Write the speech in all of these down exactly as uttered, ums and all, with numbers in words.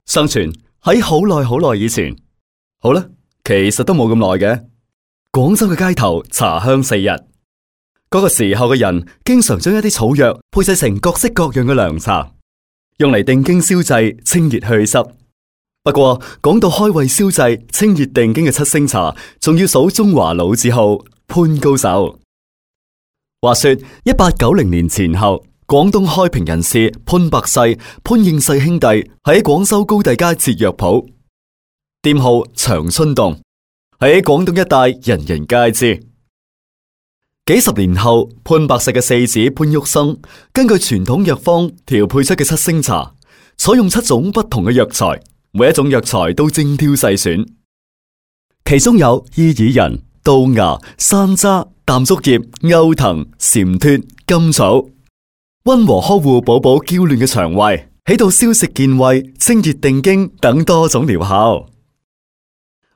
相傳喺好耐好耐以前，好啦，其實都冇咁耐嘅。廣州嘅街頭茶香四溢，嗰、那個時候嘅人經常將一啲草藥配製成各式各樣嘅涼茶，用嚟定經消滯、清熱去濕。不過講到開胃消滯、清熱定經嘅七星茶，仲要數中華老字號潘高壽。話說一八九零年前後，廣東開平人士潘百世、潘應世兄弟喺廣州高第街設藥鋪，店號長春洞，喺廣東一帶人人皆知。幾十年後，潘百世嘅四子潘旭生根據傳統藥方調配出嘅七星茶，採用七種不同嘅藥材，每一種藥材都精挑細選，其中有伊爾仁、稻芽、山楂、淡竹葉、歐藤、蟬脫、甘草，溫和呵護寶寶嬌嫩嘅腸胃，起到消食健胃、清熱定經等多種療效。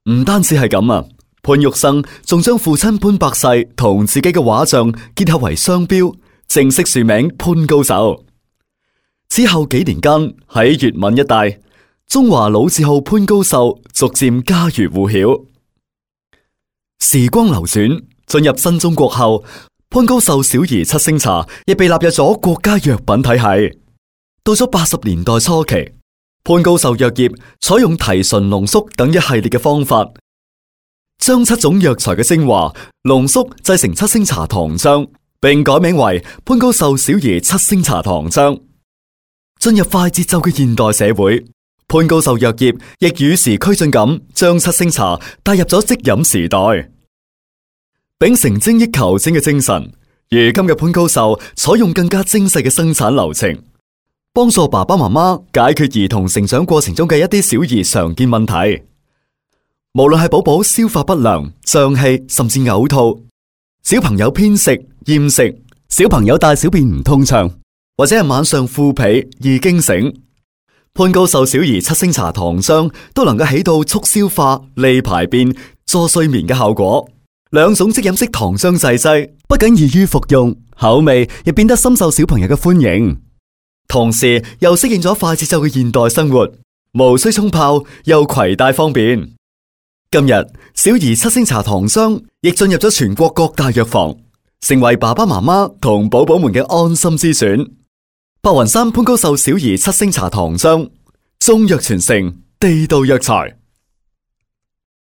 唔單止係咁啊，潘旭生仲將父親潘百世同自己嘅畫像結合為商標，正式署名潘高壽。之後幾年間喺粵閩一帶，中華老字號潘高壽逐漸家喻戶曉。時光流轉，進入新中國後，潘高壽小兒七星茶亦被納入咗國家藥品體系。到咗八十年代初期，潘高壽藥業採用提純濃縮等一系列嘅方法，將七種藥材嘅精華濃縮製成七星茶糖漿，並改名為潘高壽小兒七星茶糖漿。進入快節奏嘅現代社會，潘高壽藥業亦與時俱進咁將七星茶帶入咗即飲時代。秉承精益求精嘅精神，如今嘅潘高壽採用更加精細嘅生產流程，幫助爸爸媽媽解決兒童成長過程中嘅一啲小兒常見問題。無論係寶寶消化不良、脹氣甚至嘔吐，小朋友偏食、厭食，小朋友大小便唔通暢，或者係晚上腐皮易驚醒，潘高壽小兒七星茶糖漿都能夠起到促消化、利排便、助睡眠嘅效果。兩種即飲式糖漿製劑不僅易於服用，口味亦變得深受小朋友嘅歡迎，同時又適應咗快節奏嘅現代生活，無需沖泡又攜帶方便。今日小兒七星茶糖漿亦進入咗全國各大藥房，成為爸爸媽媽同寶寶們嘅安心之選。白雲山潘高壽小兒七星茶糖漿，中藥傳承，地道藥材。